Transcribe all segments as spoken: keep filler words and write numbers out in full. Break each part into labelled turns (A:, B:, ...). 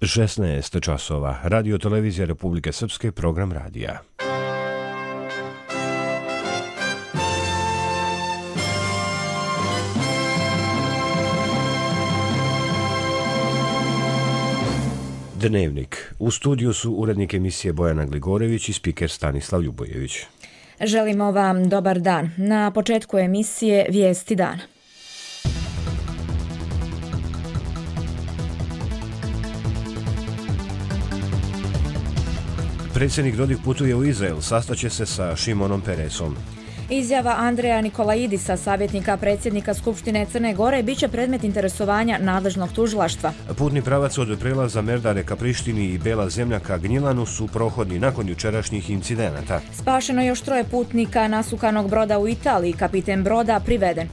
A: šesnaest časova. Radio televizija Republike Srpske, program radija. Dnevnik. U studiju su urednik emisije Bojana Gligorević i spiker Stanislav Ljubojević.
B: Želimo vam dobar dan. Na početku emisije Vijesti dana.
A: Predsjednik Dodik putuje u Izrael, sastaće se sa Šimonom Peresom.
B: Izjava Andreja Nikolaidisa, savjetnika predsjednika Skupštine Crne Gore, biće predmet interesovanja nadležnog tužilaštva.
A: Putni pravac od prelaza Merdare ka Prištini i Bela zemlja ka Gnjilanu su prohodni nakon jučerašnjih incidenata.
B: Spašeno još troje putnika nasukanog broda u Italiji, kapiten broda priveden.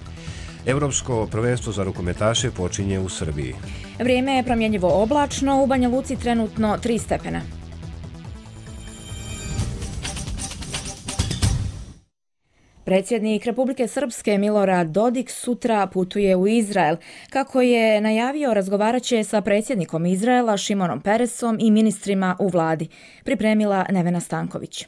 A: Europsko prvenstvo za rukometaše počinje u Srbiji.
B: Vrijeme je promjenjivo oblačno, u Banja Luci trenutno tri stepena. Predsjednik Republike Srpske Milorad Dodik sutra putuje u Izrael. Kako je najavio, razgovarat će sa predsjednikom Izraela Šimonom Peresom i ministrima u vladi. Pripremila Nevena Stanković.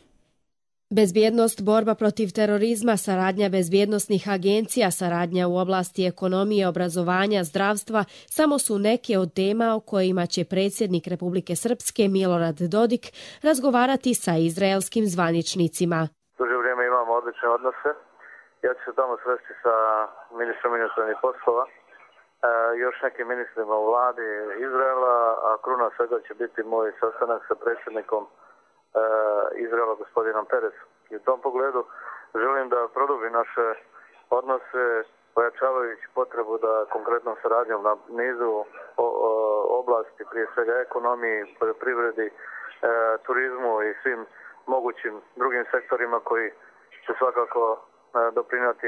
C: Bezbjednost, borba protiv terorizma, saradnja bezbjednosnih agencija, saradnja u oblasti ekonomije, obrazovanja, zdravstva samo su neke od tema o kojima će predsjednik Republike Srpske Milorad Dodik razgovarati sa izraelskim zvaničnicima.
D: Duže vrijeme imamo odlične odnose. Ja ću se tamo sresti sa ministrom inostranih poslova, e, još nekim ministrima u vladi Izraela, a kruna svega će biti moj sastanak sa predsjednikom e, Izraela gospodinom Peresom. I u tom pogledu želim da produbim naše odnose, pojačavajući potrebu da konkretnom saradnjom na nizu o, o, oblasti, prije svega ekonomiji, poljoprivredi, e, turizmu i svim mogućim drugim sektorima koji će svakako doprinijeti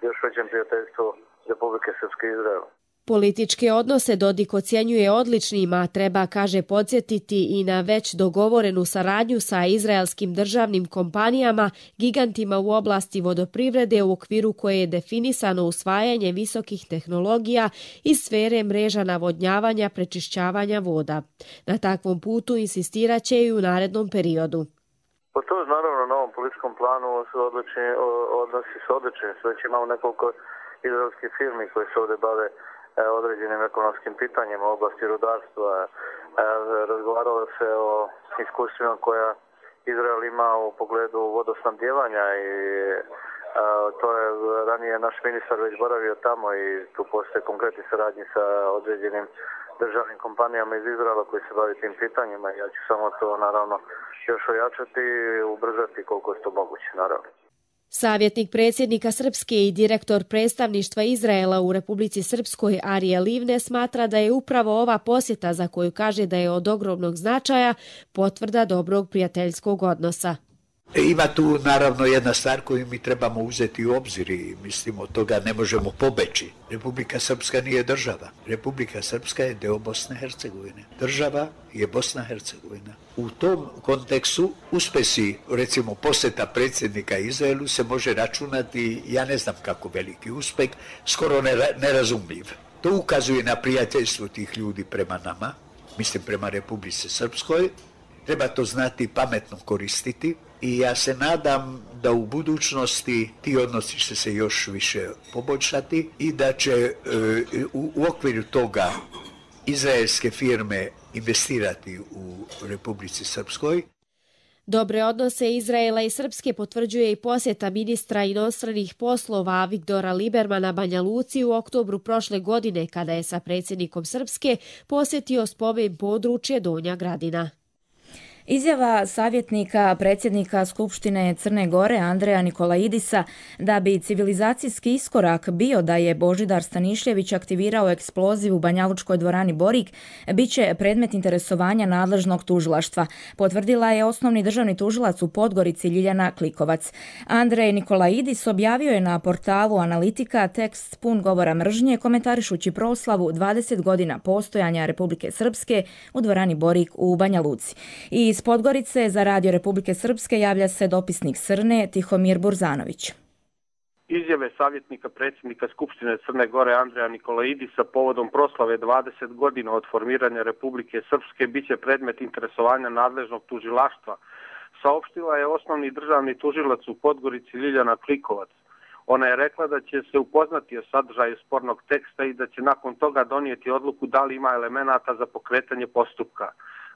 D: još većem prijateljstvu Republike Srpske i Izraela.
C: Političke odnose Dodik ocjenjuje odličnima, treba, kaže, podsjetiti i na već dogovorenu saradnju sa izraelskim državnim kompanijama, gigantima u oblasti vodoprivrede u okviru koje je definisano usvajanje visokih tehnologija iz sfere mreža navodnjavanja, prečišćavanja voda. Na takvom putu insistirat će i u narednom periodu.
D: Po to naravno na ovom političkom planu su odlični, odnosi su odlični. Već imamo nekoliko izraelskih firmi koji se ovdje bave e, određenim ekonomskim pitanjima u oblasti rudarstva. E, razgovaralo se o iskustvima koja Izrael ima u pogledu vodosnabdijevanja i e, to je ranije naš ministar već boravio tamo i tu postoje konkretni saradnji sa određenim državnim kompanijama iz Izraela koji se bavi tim pitanjima. Ja ću samo to naravno još ojačati i ubrzati koliko je to moguće, naravno.
C: Savjetnik predsjednika Srpske i direktor predstavništva Izraela u Republici Srpskoj Arije Livne smatra da je upravo ova posjeta, za koju kaže da je od ogromnog značaja, potvrda dobrog prijateljskog odnosa.
E: Ima tu naravno jedna stvar koju mi trebamo uzeti u obzir i mislim od toga ne možemo pobeći. Republika Srpska nije država. Republika Srpska je deo Bosne i Hercegovine. Država je Bosna i Hercegovina. U tom kontekstu uspesi, recimo posjeta predsjednika Izraelu se može računati, ja ne znam kako veliki uspeh, skoro nerazumljiv. To ukazuje na prijateljstvo tih ljudi prema nama, mislim prema Republici Srpskoj. Treba to znati pametno koristiti i ja se nadam da u budućnosti ti odnosi će se još više poboljšati i da će e, u, u okviru toga izraelske firme investirati u Republici Srpskoj.
C: Dobre odnose Izraela i Srpske potvrđuje i posjeta ministra inostranih poslova Viktora Libermana Banja Luci u oktobru prošle godine, kada je sa predsjednikom Srpske posjetio spomen područje Donja Gradina.
B: Izjava savjetnika predsjednika Skupštine Crne Gore Andreja Nikolaidisa da bi civilizacijski iskorak bio da je Božidar Stanišljević aktivirao eksploziv u Banjalučkoj dvorani Borik biće predmet interesovanja nadležnog tužilaštva, potvrdila je osnovni državni tužilac u Podgorici Ljiljana Klikovac. Andrej Nikolaidis objavio je na portalu Analitika tekst pun govora mržnje komentarišući proslavu dvadeset godina postojanja Republike Srpske u dvorani Borik u Banja Luci. I iz Podgorice za Radio Republike Srpske javlja se dopisnik Srne Tihomir Burzanović.
F: Izjave savjetnika predsjednika Skupštine Crne Gore Andreja Nikolaidisa povodom proslave dvadeset godina od formiranja Republike Srpske biće predmet interesovanja nadležnog tužilaštva, saopštila je osnovni državni tužilac u Podgorici Ljiljana Klikovac. Ona je rekla da će se upoznati o sadržaju spornog teksta i da će nakon toga donijeti odluku da li ima elemenata za pokretanje postupka.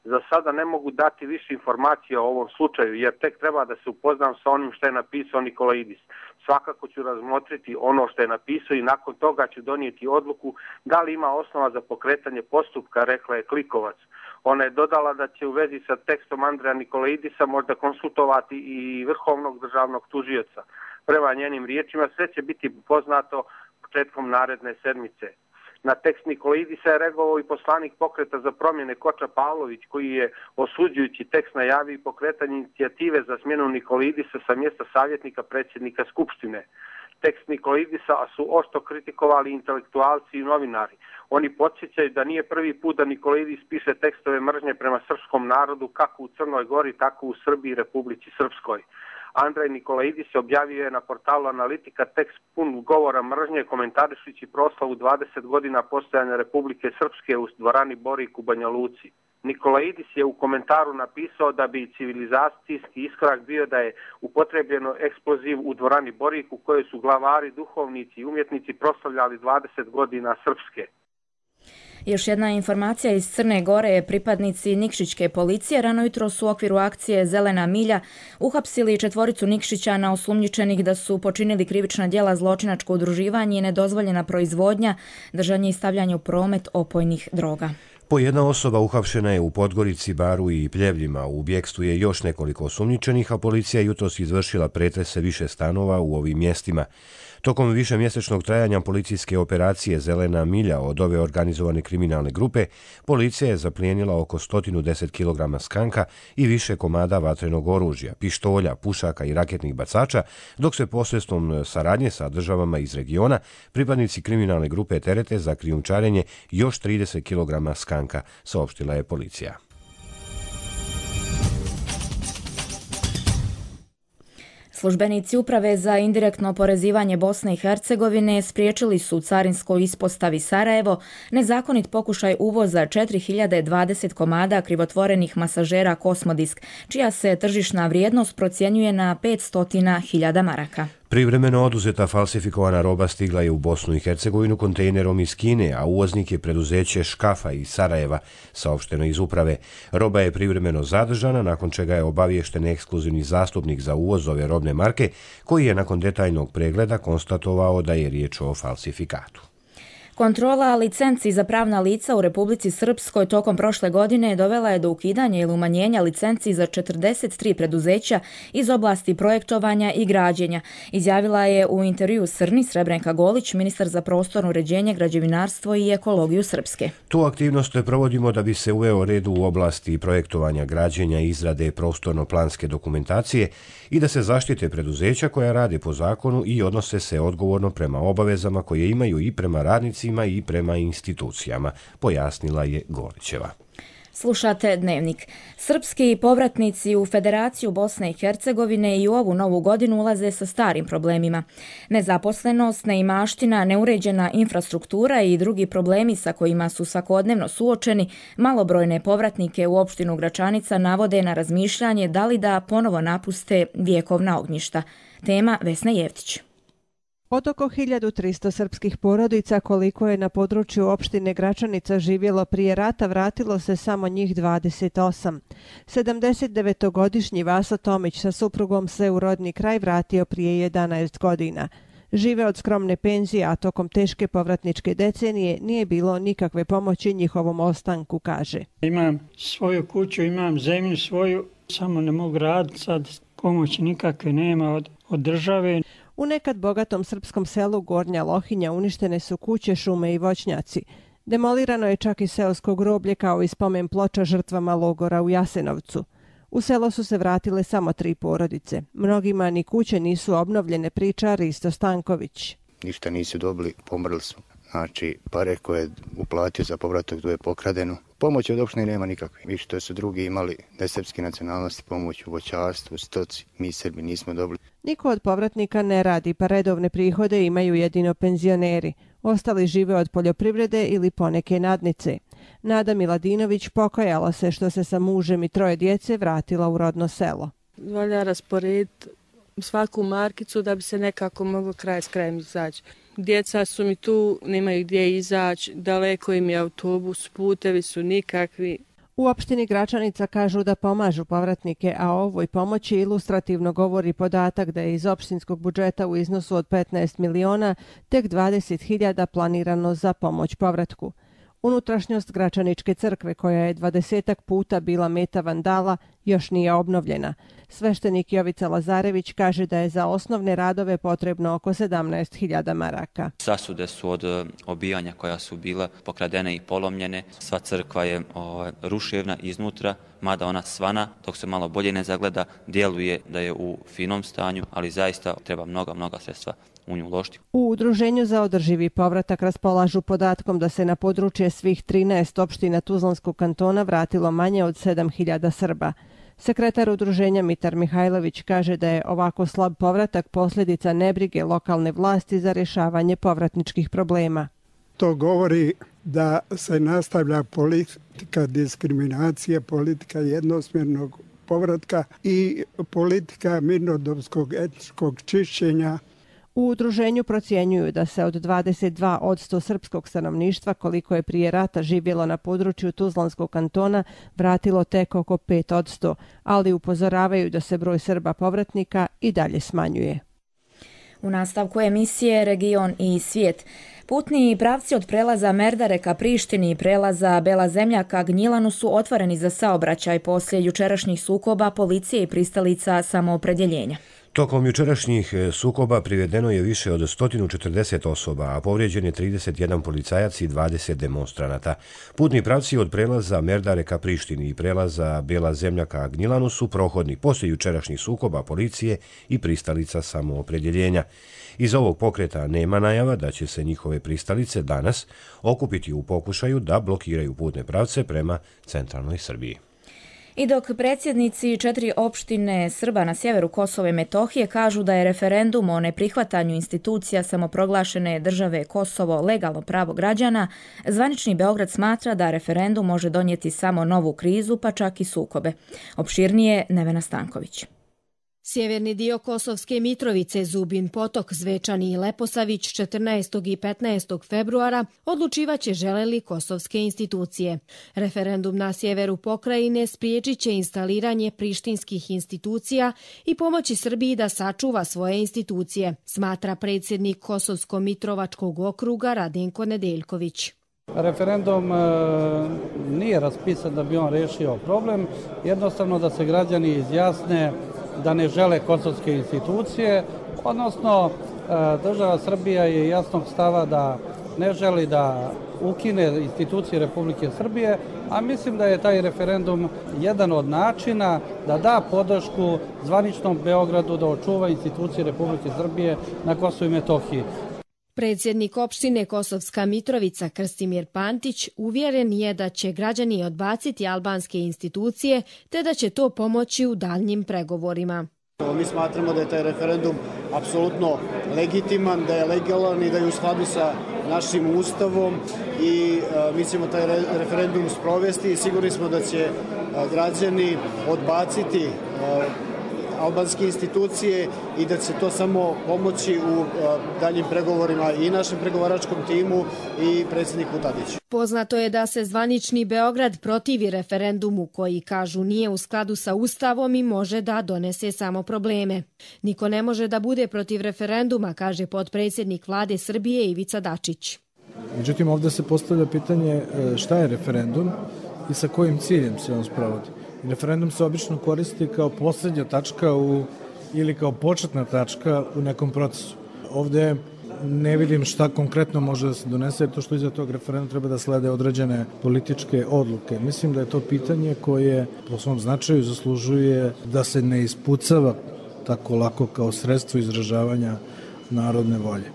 F: Za sada ne mogu dati više informacija o ovom slučaju, jer tek treba da se upoznam sa onim što je napisao Nikolaidis. Svakako ću razmotriti ono što je napisao i nakon toga ću donijeti odluku da li ima osnova za pokretanje postupka, rekla je Klikovac. Ona je dodala da će u vezi sa tekstom Andreja Nikolaidisa možda konsultovati i vrhovnog državnog tužioca. Prema njenim riječima sve će biti poznato početkom naredne sedmice. Na tekst Nikolaidisa je reagovao i poslanik Pokreta za promjene Koča Pavlović, koji je osuđujući tekst najavio i pokretanje inicijative za smjenu Nikolaidisa sa mjesta savjetnika predsjednika Skupštine. Tekst Nikolaidisa su oštro kritikovali intelektualci i novinari. Oni podsjećaju da nije prvi put da Nikolaidis piše tekstove mržnje prema srpskom narodu kako u Crnoj Gori, tako u Srbiji i Republici Srpskoj. Andrej Nikolaidis objavio je na portalu Analitika tekst pun govora mržnje komentarišući proslavu dvadeset godina postojanja Republike Srpske u dvorani Borik u Banja Luci. Nikolaidis je u komentaru napisao da bi civilizacijski iskorak bio da je upotrebljeno eksploziv u dvorani Borik u kojoj su glavari, duhovnici i umjetnici proslavljali dvadeset godina Srpske.
B: Još jedna informacija iz Crne Gore. Pripadnici Nikšićke policije rano jutro su u okviru akcije Zelena milja uhapsili četvoricu Nikšićana osumnjičenih da su počinili krivična djela zločinačko udruživanje i nedozvoljena proizvodnja, držanje i stavljanje u promet opojnih droga.
A: Po jedna osoba uhapšena je u Podgorici, Baru i Pljevljima. U bjekstvu je još nekoliko osumnjičenih, a policija jutros izvršila pretrese više stanova u ovim mjestima. Tokom višemjesečnog trajanja policijske operacije Zelena milja od ove organizovane kriminalne grupe, policija je zaplijenila oko sto deset kilograma skanka i više komada vatrenog oružja, pištolja, pušaka i raketnih bacača, dok se posredstvom saradnje sa državama iz regiona pripadnici kriminalne grupe terete za krijumčarenje još trideset kilograma skanka, saopštila je policija.
B: Službenici Uprave za indirektno oporezivanje Bosne i Hercegovine spriječili su u carinskoj ispostavi Sarajevo nezakonit pokušaj uvoza četiri hiljade dvadeset komada krivotvorenih masažera Kosmodisk, čija se tržišna vrijednost procjenjuje na petsto hiljada maraka.
A: Privremeno oduzeta falsifikovana roba stigla je u Bosnu i Hercegovinu kontejnerom iz Kine, a uvoznik je preduzeće Škafa iz Sarajeva, saopšteno iz uprave. Roba je privremeno zadržana, nakon čega je obaviješten ekskluzivni zastupnik za uvoz ove robne marke, koji je nakon detaljnog pregleda konstatovao da je riječ o falsifikatu.
B: Kontrola licenci za pravna lica u Republici Srpskoj tokom prošle godine dovela je do ukidanja ili umanjenja licenci za četrdeset tri preduzeća iz oblasti projektovanja i građenja, izjavila je u intervju Srni Srebrenka Golić, ministar za prostorno uređenje, građevinarstvo i ekologiju Srpske.
A: Tu aktivnost provodimo da bi se uveo red u oblasti projektovanja, građenja i izrade prostorno-planske dokumentacije i da se zaštite preduzeća koja rade po zakonu i odnose se odgovorno prema obavezama koje imaju i prema radnicima i prema institucijama, pojasnila je Golićeva.
B: Slušate Dnevnik. Srpski povratnici u Federaciju Bosne i Hercegovine i u ovu novu godinu ulaze sa starim problemima. Nezaposlenost, neimaština, neuređena infrastruktura i drugi problemi sa kojima su svakodnevno suočeni, malobrojne povratnike u opštinu Gračanica navode na razmišljanje da li da ponovo napuste vjekovna ognjišta. Tema Vesna Jevtić.
G: Od oko hiljadu tristo srpskih porodica koliko je na području opštine Gračanica živjelo prije rata vratilo se samo njih dvadeset osam. sedamdesetdevetogodišnji Vaso Tomić sa suprugom se u rodni kraj vratio prije jedanaest godina. Žive od skromne penzije, a tokom teške povratničke decenije nije bilo nikakve pomoći njihovom ostanku, kaže.
H: Imam svoju kuću, imam zemlju svoju, samo ne mogu raditi, sad pomoći nikakve nema od, od države.
G: U nekad bogatom srpskom selu Gornja Lohinja uništene su kuće, šume i voćnjaci. Demolirano je čak i seosko groblje kao i spomen ploča žrtvama logora u Jasenovcu. U selo su se vratile samo tri porodice. Mnogima ni kuće nisu obnovljene, priča Risto Stanković.
I: Ništa nisu dobili, pomrli su. Znači, pare koje je uplatio za povratak tu je pokradeno. Pomoći od opštine nema nikakve. Vi što su drugi imali nesrpske nacionalnosti, pomoć u voćarstvu, stoci, mi Srbi nismo dobili.
G: Niko od povratnika ne radi, pa redovne prihode imaju jedino penzioneri. Ostali žive od poljoprivrede ili poneke nadnice. Nada Miladinović pokajala se što se sa mužem i troje djece vratila u rodno selo.
J: Valja rasporediti svaku markicu da bi se nekako moglo kraj s krajem izaći. Djeca su mi tu, nemaju gdje izaći, daleko im je autobus, putevi su nikakvi.
G: U opštini Gračanica kažu da pomažu povratnike, a o ovoj pomoći ilustrativno govori podatak da je iz opštinskog budžeta u iznosu od petnaest miliona tek dvadeset hiljada planirano za pomoć povratku. Unutrašnjost Gračaničke crkve, koja je dvadesetak puta bila meta vandala, još nije obnovljena. Sveštenik Jovica Lazarević kaže da je za osnovne radove potrebno oko sedamnaest hiljada maraka.
K: Zasude su od obijanja koja su bila pokradene i polomljene. Sva crkva je o, ruševna iznutra, mada ona svana, dok se malo bolje ne zagleda, djeluje da je u finom stanju, ali zaista treba mnoga, mnoga sredstva u nju uložiti.
G: U Udruženju za održivi povratak raspolažu podatkom da se na područje svih trinaest opština Tuzlanskog kantona vratilo manje od sedam hiljada Srba. Sekretar udruženja Mitar Mihajlović kaže da je ovako slab povratak posljedica nebrige lokalne vlasti za rješavanje povratničkih problema.
L: To govori da se nastavlja politika diskriminacije, politika jednosmjernog povratka i politika mirnodopskog etničkog čišćenja.
G: U udruženju procjenjuju da se od dvadeset dva posto srpskog stanovništva, koliko je prije rata živjelo na području Tuzlanskog kantona, vratilo tek oko pet posto, ali upozoravaju da se broj Srba povratnika i dalje smanjuje.
B: U nastavku emisije Region i svijet. Putni pravci od prelaza Merdare ka Prištini i prelaza Bela zemlja ka Gnjilanu su otvoreni za saobraćaj poslije jučerašnjih sukoba policije i pristalica samoopredjeljenja.
A: Tokom jučerašnjih sukoba privedeno je više od sto četrdeset osoba, a povrijeđen je trideset jedan policajac i dvadeset demonstranata. Putni pravci od prelaza Merdare ka Prištini i prelaza Bela zemlja ka Gnjilanu su prohodni poslije jučerašnjih sukoba policije i pristalica samoopredjeljenja. Iz ovog pokreta nema najava da će se njihove pristalice danas okupiti u pokušaju da blokiraju putne pravce prema centralnoj Srbiji.
B: I dok predsjednici četiri opštine Srba na sjeveru Kosova i Metohije kažu da je referendum o neprihvatanju institucija samoproglašene države Kosovo legalno pravo građana, zvanični Beograd smatra da referendum može donijeti samo novu krizu, pa čak i sukobe. Opširnije Nevena Stanković.
C: Sjeverni dio Kosovske Mitrovice, Zubin Potok, Zvečani i Leposavić četrnaestog i petnaestog februara odlučivaće žele li kosovske institucije. Referendum na sjeveru pokrajine spriječit će instaliranje prištinskih institucija i pomoći Srbiji da sačuva svoje institucije, smatra predsjednik Kosovsko-Mitrovačkog okruga Radenko Nedeljković.
M: Referendum e, nije raspisan da bi on rešio problem, jednostavno da se građani izjasne da ne žele kosovske institucije, odnosno država Srbija je jasnog stava da ne želi da ukine institucije Republike Srbije, a mislim da je taj referendum jedan od načina da da podršku zvaničnom Beogradu da očuva institucije Republike Srbije na Kosovu i Metohiji.
C: Predsjednik opštine Kosovska Mitrovica Krstimir Pantić uvjeren je da će građani odbaciti albanske institucije te da će to pomoći u daljnjim pregovorima.
N: Mi smatramo da je taj referendum apsolutno legitiman, da je legalan i da je u skladu sa našim ustavom i mi ćemo taj referendum sprovesti i sigurni smo da će građani odbaciti albanske institucije i da će to samo pomoći u daljim pregovorima i našem pregovaračkom timu i predsjedniku Tadiću.
C: Poznato je da se zvanični Beograd protivi referendumu koji, kažu, nije u skladu sa ustavom i može da donese samo probleme. Niko ne može da bude protiv referenduma, kaže potpredsjednik vlade Srbije Ivica Dačić.
O: Međutim, ovdje se postavlja pitanje šta je referendum i sa kojim ciljem se on sprovodi. Referendum se obično koristi kao posljednja tačka u, ili kao početna tačka u nekom procesu. Ovdje ne vidim šta konkretno može da se donese, to što iza tog referenduma treba da slede određene političke odluke. Mislim da je to pitanje koje po svom značaju zaslužuje da se ne ispucava tako lako kao sredstvo izražavanja narodne volje.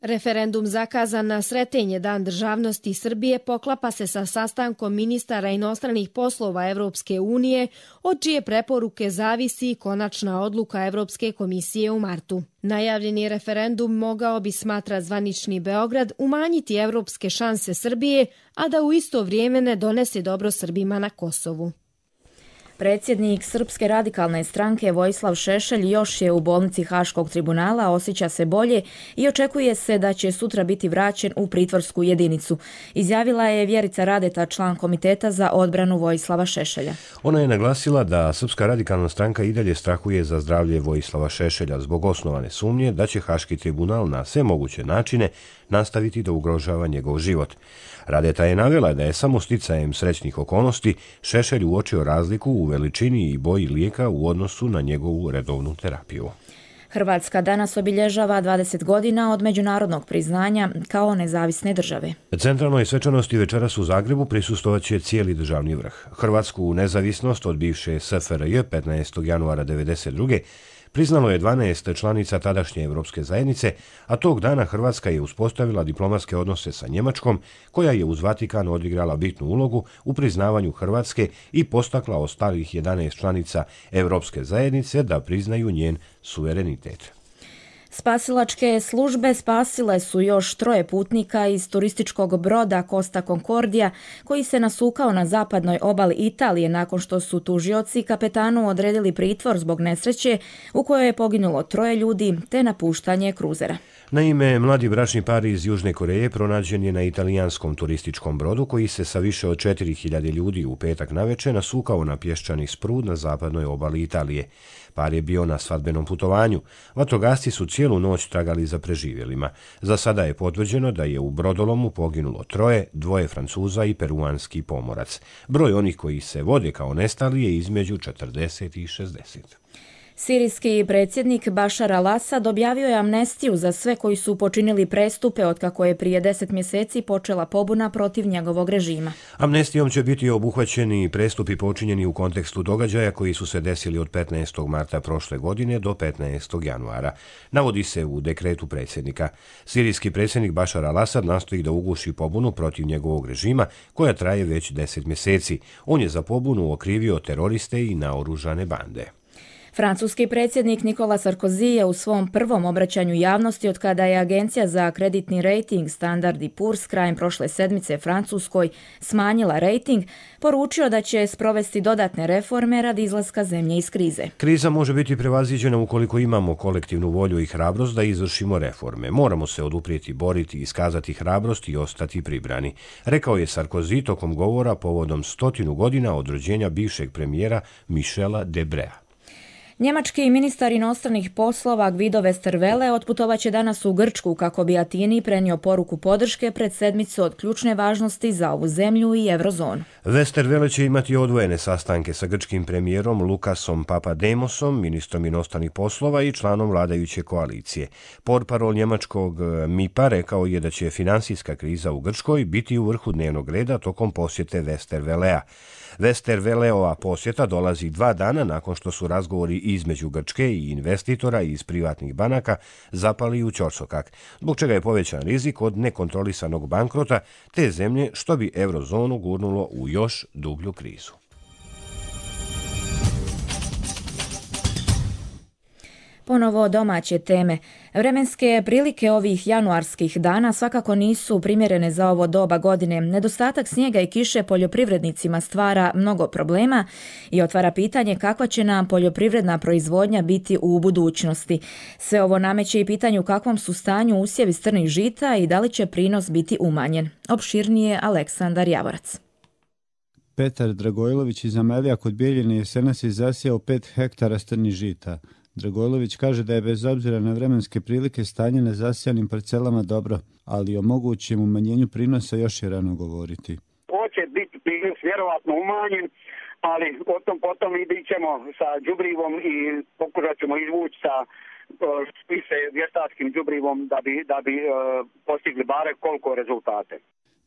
C: Referendum zakazan na Sretenje, Dan državnosti Srbije, poklapa se sa sastankom ministara inostranih poslova Evropske unije, od čije preporuke zavisi konačna odluka Evropske komisije u martu. Najavljeni referendum mogao bi, smatra zvanični Beograd, umanjiti evropske šanse Srbije, a da u isto vrijeme ne donese dobro Srbima na Kosovu.
B: Predsjednik Srpske radikalne stranke Vojislav Šešelj još je u bolnici Haškog tribunala, osjeća se bolje i očekuje se da će sutra biti vraćen u pritvorsku jedinicu. Izjavila je Vjerica Radeta, član Komiteta za odbranu Vojislava Šešelja.
A: Ona je naglasila da Srpska radikalna stranka i dalje strahuje za zdravlje Vojislava Šešelja zbog osnovane sumnje da će Haški tribunal na sve moguće načine nastaviti da ugrožava njegov život. Radeta je navela da je samo sticajem srećnih okolnosti Šešelj uočio razliku u veličini i boji lijeka u odnosu na njegovu redovnu terapiju.
B: Hrvatska danas obilježava dvadeset godina od međunarodnog priznanja kao nezavisne države.
A: Centralnoj svečanosti večeras u Zagrebu prisustovat će cijeli državni vrh. Hrvatsku nezavisnost od bivše S F R J petnaestog januara devedeset druge priznalo je dvanaest članica tadašnje Evropske zajednice, a tog dana Hrvatska je uspostavila diplomatske odnose sa Njemačkom, koja je uz Vatikan odigrala bitnu ulogu u priznavanju Hrvatske i postakla ostalih jedanaest članica Evropske zajednice da priznaju njen suverenitet.
B: Spasilačke službe spasile su još troje putnika iz turističkog broda Costa Concordia koji se nasukao na zapadnoj obali Italije nakon što su tužioci kapetanu odredili pritvor zbog nesreće u kojoj je poginulo troje ljudi te napuštanje kruzera.
A: Naime, mladi bračni par iz Južne Koreje pronađen je na italijanskom turističkom brodu koji se sa više od četiri hiljade ljudi u petak naveče nasukao na pješčani sprud na zapadnoj obali Italije. Par je bio na svadbenom putovanju. Vatrogasci su cijelu noć tragali za preživjelima. Za sada je potvrđeno da je u brodolomu poginulo troje, dvoje Francuza i peruanski pomorac. Broj onih koji se vode kao nestali je između četrdeset i šezdeset.
B: Sirijski predsjednik Bašar al-Asad objavio je amnestiju za sve koji su počinili prestupe otkako je prije deset mjeseci počela pobuna protiv njegovog režima.
A: Amnestijom će biti obuhvaćeni prestupi počinjeni u kontekstu događaja koji su se desili od petnaestog marta prošle godine do petnaestog januara. Navodi se u dekretu predsjednika. Sirijski predsjednik Bašar al-Asad nastoji da uguši pobunu protiv njegovog režima koja traje već deset mjeseci. On je za pobunu okrivio teroriste i naoružane bande.
B: Francuski predsjednik Nicolas Sarkozy je u svom prvom obraćanju javnosti od kada je agencija za kreditni rejting Standard and Poor's krajem prošle sedmice Francuskoj smanjila rejting, poručio da će sprovesti dodatne reforme radi izlaska zemlje iz krize.
A: Kriza može biti prevaziđena ukoliko imamo kolektivnu volju i hrabrost da izvršimo reforme. Moramo se oduprijeti, boriti, iskazati hrabrost i ostati pribrani, rekao je Sarkozy tokom govora povodom stotinu godina od rođenja bivšeg premijera Michela Debrea.
B: Njemački ministar inostranih poslova Guido Westerwelle otputovaće danas u Grčku kako bi Atini prenio poruku podrške pred sedmicu od ključne važnosti za ovu zemlju i eurozonu.
A: Westerwelle će imati odvojene sastanke sa grčkim premijerom Lukasom Papademosom, ministrom inostranih poslova i članom vladajuće koalicije. Portparol njemačkog M I P-a rekao je da će finansijska kriza u Grčkoj biti u vrhu dnevnog reda tokom posjete Westerwellea. Westerwelleova posjeta dolazi dva dana nakon što su razgovori između Grčke i investitora iz privatnih banaka zapali u ćorsokak, zbog čega je povećan rizik od nekontrolisanog bankrota te zemlje što bi eurozonu gurnulo u još dublju krizu.
B: Ponovo domaće teme. Vremenske prilike ovih januarskih dana svakako nisu primjerene za ovo doba godine. Nedostatak snijega i kiše poljoprivrednicima stvara mnogo problema i otvara pitanje kakva će nam poljoprivredna proizvodnja biti u budućnosti. Sve ovo nameće i pitanje u kakvom su stanju usjevi strnih žita i da li će prinos biti umanjen. Opširnije Aleksandar Javorac.
P: Petar Dragojlović iz Amelija kod Bijeljine jesenas je zasijao pet hektara strnih žita. Dragojlović kaže da je bez obzira na vremenske prilike stanje na zasijanim parcelama dobro, ali o mogućem umanjenju prinosa još je rano govoriti.
Q: Hoće biti prinos vjerovatno umanjen, ali o tom potom idićemo sa đubrivom i pokušat ćemo izvući sa spise vještačkim đubrivom da bi, da bi uh, postigli bare koliko rezultate.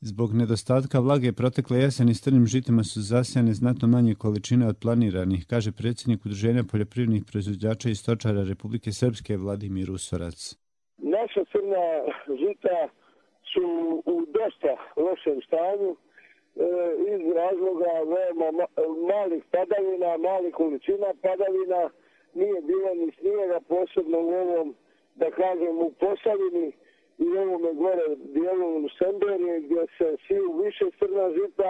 P: Zbog nedostatka vlage protekle jeseni strnim žitima su zasijane znatno manje količine od planiranih, kaže predsjednik Udruženja poljoprivrednih proizvođača i stočara Republike Srpske Vladimir Usorac.
Q: Ne
R: naša crna žita su u dosta lošem stanju e, iz razloga veoma ma, malih padavina, malih količina padavina, nije bilo ni snijega, posebno u ovom, da kažem, u Posavini i ovome gore dijelu Semberije gdje se siju više crna žita.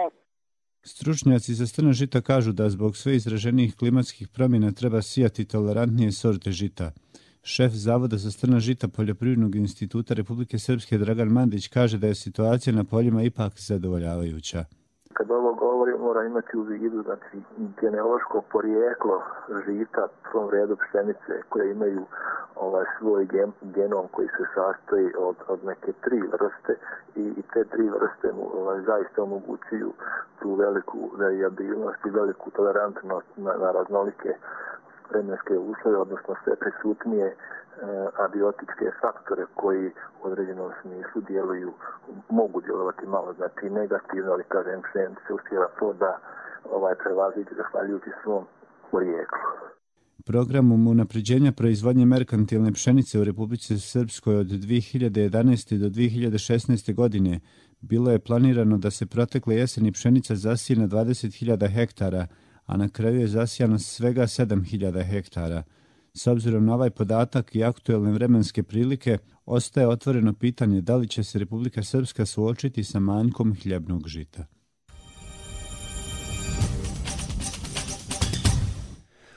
P: Stručnjaci za crna žita kažu da zbog sve izraženijih klimatskih promjena treba sijati tolerantnije sorte žita. Šef Zavoda za crna žita Poljoprivrednog instituta Republike Srpske Dragan Mandić kaže da je situacija na poljima ipak zadovoljavajuća.
S: Kad ovo govori, mora imati u vidu, znači, genealoško porijeklo žita, u prvom redu pšenice, koje imaju ovaj, svoj gen, genom koji se sastoji od, od neke tri vrste i, i te tri vrste mu ovaj, zaista omogućuju tu veliku variabilnost i veliku tolerantnost na, na raznolike vremenske uslove, odnosno sve prisutnije e, abiotičke faktore koji u određenom smislu djeluju, mogu djelovati malo, znači negativno, ali kažem, pšenica uspjeva to da ovaj, prevaziđe zahvaljujući svom porijeklu.
P: Programom unapređenja proizvodnje merkantilne pšenice u Republici Srpskoj od dvije hiljade jedanaeste do dvije hiljade šesnaeste godine bilo je planirano da se protekle jeseni pšenica zasije na dvadeset hiljada hektara, a na kraju je zasijano svega sedam hiljada hektara. S obzirom na ovaj podatak i aktuelne vremenske prilike, ostaje otvoreno pitanje da li će se Republika Srpska suočiti sa manjkom hljebnog žita.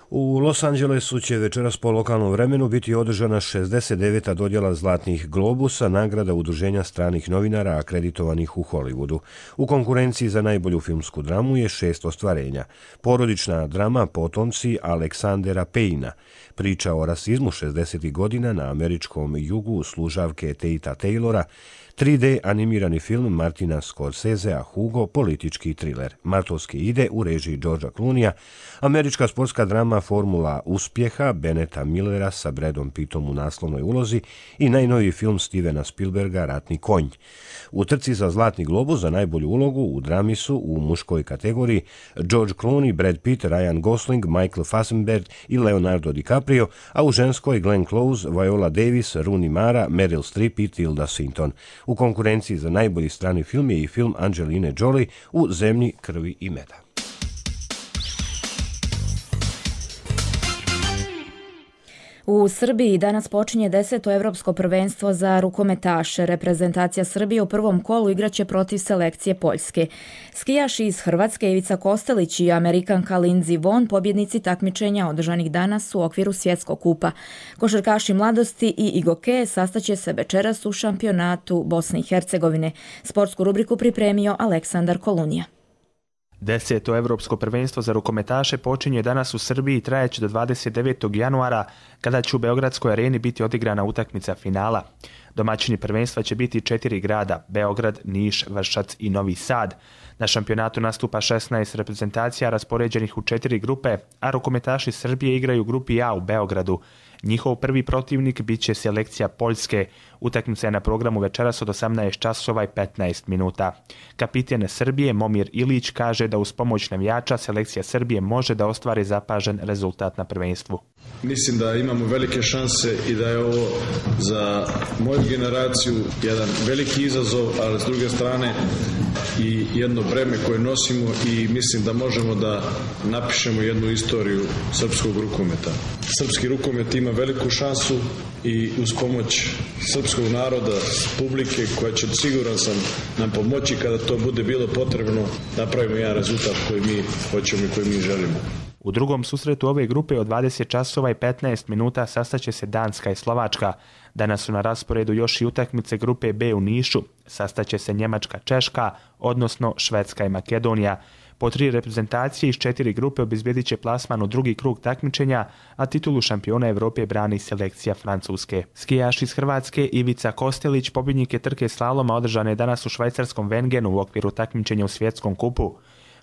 A: U Los Angelesu će večeras po lokalnom vremenu biti održana šezdeset deveta dodjela Zlatnih globusa, nagrada udruženja stranih novinara akreditovanih u Hollywoodu. U konkurenciji za najbolju filmsku dramu je šest ostvarenja. Porodična drama Potomci Aleksandera Payna, priča o rasizmu šezdesetih godina na američkom jugu služavke Tate Taylora, tri D animirani film Martina Scorsesea Hugo, politički triler. Martovske ide u režiji Georgea Clooneyja, američka sportska drama Formula uspjeha Beneta Millera sa Bradom Pittom u naslovnoj ulozi i najnoviji film Stevena Spielberga Ratni konj. U trci za Zlatni globus za najbolju ulogu u drami su u muškoj kategoriji George Clooney, Brad Pitt, Ryan Gosling, Michael Fassbender i Leonardo DiCaprio, a u ženskoj Glenn Close, Viola Davis, Rooney Mara, Meryl Streep i Tilda Swinton. U konkurenciji za najbolji strani film je i film Angeline Jolie U zemlji krvi i meda.
B: U Srbiji danas počinje deseto evropsko prvenstvo za rukometaše. Reprezentacija Srbije u prvom kolu igraće protiv selekcije Poljske. Skijaši iz Hrvatske Ivica Kostelić i Amerikanka Lindsey Vonn, pobjednici takmičenja održanih danas u okviru svjetskog kupa. Košarkaši mladosti i igoke sastaće se večeras u šampionatu Bosne i Hercegovine. Sportsku rubriku pripremio Aleksandar Kolunija.
T: Deseto evropsko prvenstvo za rukometaše počinje danas u Srbiji i trajeće do dvadeset devetog januara, kada će u Beogradskoj areni biti odigrana utakmica finala. Domaćini prvenstva će biti četiri grada, Beograd, Niš, Vršac i Novi Sad. Na šampionatu nastupa šesnaest reprezentacija raspoređenih u četiri grupe, a rukometaši Srbije igraju u grupi A u Beogradu. Njihov prvi protivnik bit će selekcija Poljske. Utakmica je na programu večeras od osamnaest časova i petnaest minuta. Kapiten Srbije Momir Ilić kaže da uz pomoć navijača selekcija Srbije može da ostvari zapažen rezultat na prvenstvu.
U: Mislim da imamo velike šanse i da je ovo za moju generaciju jedan veliki izazov, ali s druge strane i jedno breme koje nosimo i mislim da možemo da napišemo jednu istoriju srpskog rukometa. Srpski rukomet ima veliku šansu i uz pomoć srpskog naroda, publike koja će, siguran sam, nam pomoći kada to bude bilo potrebno, napravimo jedan rezultat koji mi hoćemo i koji mi želimo.
T: U drugom susretu ove grupe od dvadeset časova i petnaest minuta sastaće se Danska i Slovačka. Danas su na rasporedu još i utakmice grupe B u Nišu. Sastaće se Njemačka, Češka, odnosno Švedska i Makedonija. Po tri reprezentacije iz četiri grupe obezbjedit će plasman u drugi krug takmičenja, a titulu šampiona Evrope brani selekcija Francuske. Skijaš iz Hrvatske Ivica Kostelić, pobjednik je trke slaloma održane danas u švajcarskom Wengenu u okviru takmičenja u svjetskom kupu.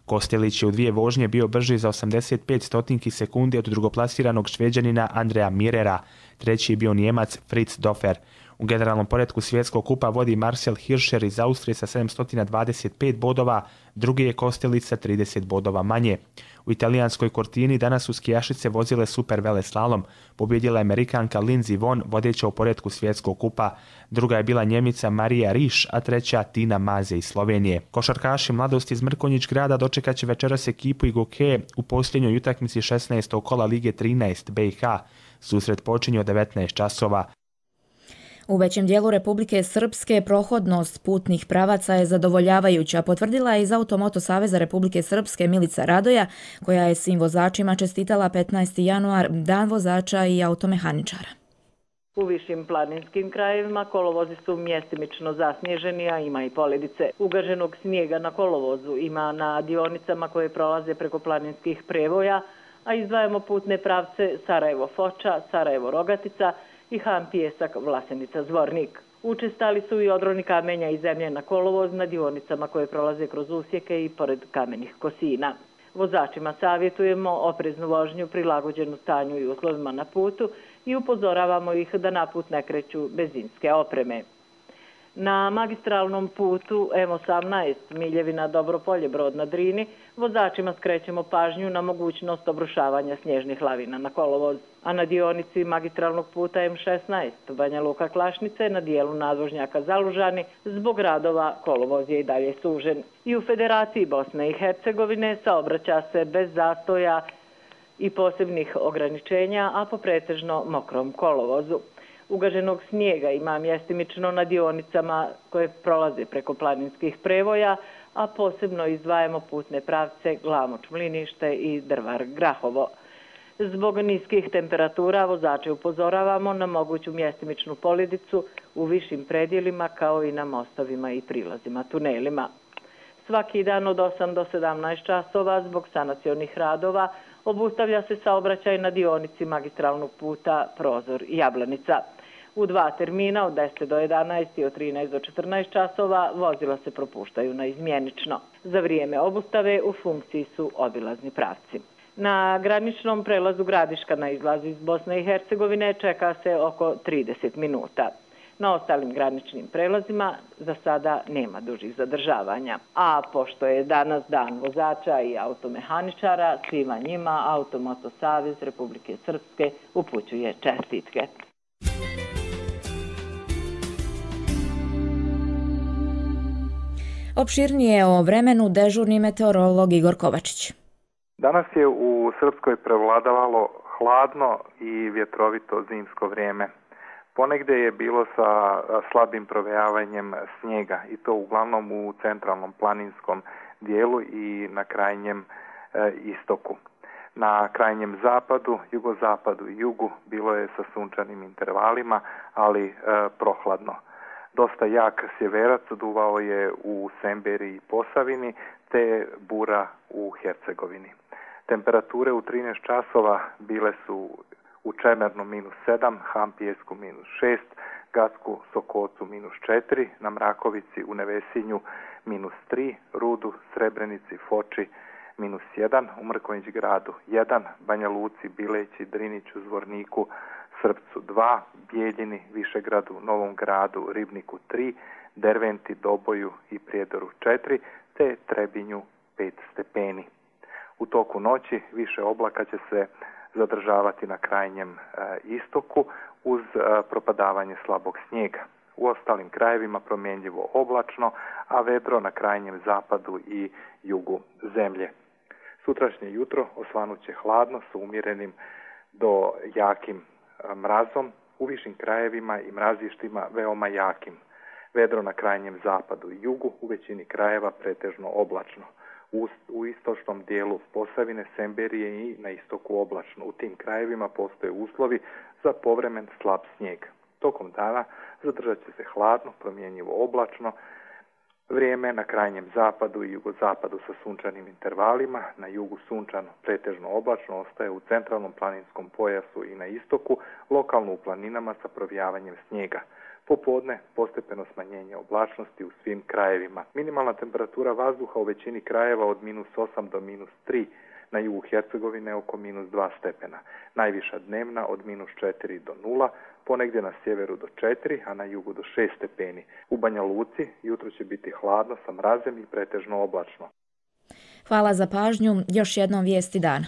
T: Kostelić je u dvije vožnje bio brži za osamdeset pet stotinki sekunde od drugoplasiranog Šveđanina Andreja Mirera. Treći je bio Njemac Fritz Dofer. U generalnom poretku svjetskog kupa vodi Marcel Hirscher iz Austrije sa sedamsto dvadeset pet bodova, drugi je Kostelić sa trideset bodova manje. U italijanskoj Cortini danas su skijašice vozile super veleslalom. Pobjedila je Amerikanka Lindsey Vonn, vodeća u poretku svjetskog kupa. Druga je bila Njemica Marija Riš, a treća Tina Maze iz Slovenije. Košarkaši mladosti iz Mrkonjić grada dočekat će večeras ekipu Igoke u posljednjoj utakmici šesnaestog kola Lige trinaest B i H. Susret počinje od devetnaest časova.
B: U većem dijelu Republike Srpske prohodnost putnih pravaca je zadovoljavajuća, potvrdila je iz Automoto Saveza Republike Srpske Milica Radoja, koja je svim vozačima čestitala petnaesti januar, dan vozača i automehaničara.
D: U višim planinskim krajevima kolovozi su mjestimično zasnježeni, a ima i poledice. Ugaženog snijega na kolovozu ima na dionicama koje prolaze preko planinskih prevoja, a izdvajamo putne pravce Sarajevo-Foča, Sarajevo-Rogatica i Han Pijesak, Vlasenica-Zvornik. Učestali su i odroni kamenja i zemlje na kolovoz na dionicama koje prolaze kroz usjeke i pored kamenih kosina. Vozačima savjetujemo opreznu vožnju prilagođenu stanju i uslovima na putu i upozoravamo ih da na put ne kreću bez zimske opreme. Na magistralnom putu M osamnaest Miljevina Dobropolje Brod na Drini vozačima skrećemo pažnju na mogućnost obrušavanja snježnih lavina na kolovoz, a na dionici magistralnog puta M šesnaest Banja Luka Klašnice na dijelu nadvožnjaka Zalužani zbog radova kolovoz je i dalje sužen. I u Federaciji Bosne i Hercegovine saobraća se bez zastoja i posebnih ograničenja, a po pretežno mokrom kolovozu. Ugaženog snijega ima mjestimično na dionicama koje prolaze preko planinskih prevoja, a posebno izdvajamo putne pravce Glamoč-Mlinište i Drvar-Grahovo. Zbog niskih temperatura vozače upozoravamo na moguću mjestimičnu poledicu u višim predjelima kao i na mostovima i prilazima tunelima. Svaki dan od osam do sedamnaest časova zbog sanacionih radova obustavlja se saobraćaj na dionici magistralnog puta Prozor Jablanica. U dva termina od deset do jedanaest i od trinaest do četrnaest časova vozila se propuštaju na izmjenično. Za vrijeme obustave u funkciji su obilazni pravci. Na graničnom prelazu Gradiška na izlazu iz Bosne i Hercegovine čeka se oko trideset minuta. Na ostalim graničnim prelazima za sada nema dužih zadržavanja. A pošto je danas dan vozača i automehaničara, svima njima Automoto Savez Republike Srpske upućuje čestitke.
B: Opširnije o vremenu dežurni meteorolog Igor Kovačić.
V: Danas je u Srpskoj prevladavalo hladno i vjetrovito zimsko vrijeme. Ponegdje je bilo sa slabim provejavanjem snijega i to uglavnom u centralnom planinskom dijelu i na krajnjem e, istoku. Na krajnjem zapadu, jugozapadu i jugu bilo je sa sunčanim intervalima, ali e, prohladno. Dosta jak sjeverac duvao je u Semberi i Posavini, te bura u Hercegovini. Temperature u trinaest časova bile su u Čemernu minus sedam, Hampijesku minus šest, Gacku Sokocu minus četiri, na Mrakovici u Nevesinju minus tri, Rudu, Srebrenici, Foči minus jedan, u Mrkonjić gradu jedan, Banja Luci, Bileći, Driniću, Zvorniku, Srpcu dva, Bijeljini, Višegradu, Novom gradu, Ribniku tri, Derventi, Doboju i Prijedoru četiri, te Trebinju pet stepeni. U toku noći više oblaka će se zadržavati na krajnjem e, istoku uz e, propadavanje slabog snijega. U ostalim krajevima promjenjivo oblačno, a vedro na krajnjem zapadu i jugu zemlje. Sutrašnje jutro osvanut će hladno sa umjerenim do jakim e, mrazom, u višim krajevima i mrazištima veoma jakim. Vedro na krajnjem zapadu i jugu, u većini krajeva pretežno oblačno. U, u istočnom dijelu Posavine, Semberije i na istoku oblačno. U tim krajevima postoje uslovi za povremen slab snijeg. Tokom dana zadržat će se hladno, promjenjivo oblačno, vrijeme na krajnjem zapadu i jugozapadu sa sunčanim intervalima, na jugu sunčano, pretežno oblačno, ostaje u centralnom planinskom pojasu i na istoku, lokalno u planinama sa provijavanjem snijega. Popodne postepeno smanjenje oblačnosti u svim krajevima. Minimalna temperatura vazduha u većini krajeva od minus osam do minus tri, na jugu Hercegovine oko minus dva stepena. Najviša dnevna od minus četiri do nula, ponegdje na sjeveru do četiri, a na jugu do šest stepeni. U Banja Luci jutro će biti hladno sa mrazem i pretežno oblačno.
B: Hvala za pažnju. Još jednom vijesti dana.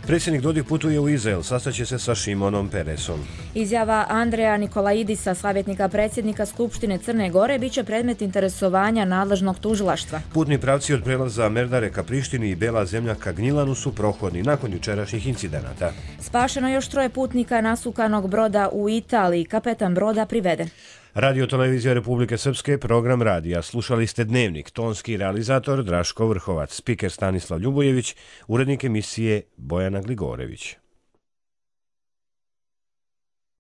A: Predsjednik Dodik putuje u Izrael, sastaće se sa Šimonom Peresom.
B: Izjava Andreja Nikolaidisa, savjetnika predsjednika Skupštine Crne Gore, bit će predmet interesovanja nadležnog tužilaštva.
A: Putni pravci od prelaza Merdare ka Prištini i Bela zemlja ka Gnjilanu su prohodni nakon jučerašnjih incidenata.
B: Spašeno još troje putnika nasukanog broda u Italiji, kapetan broda priveden.
A: Radio Televizija Republike Srpske, program radija. Slušali ste Dnevnik, tonski realizator Draško Vrhovac, spiker Stanislav Ljubojević, urednik emisije Bojana Gligorević.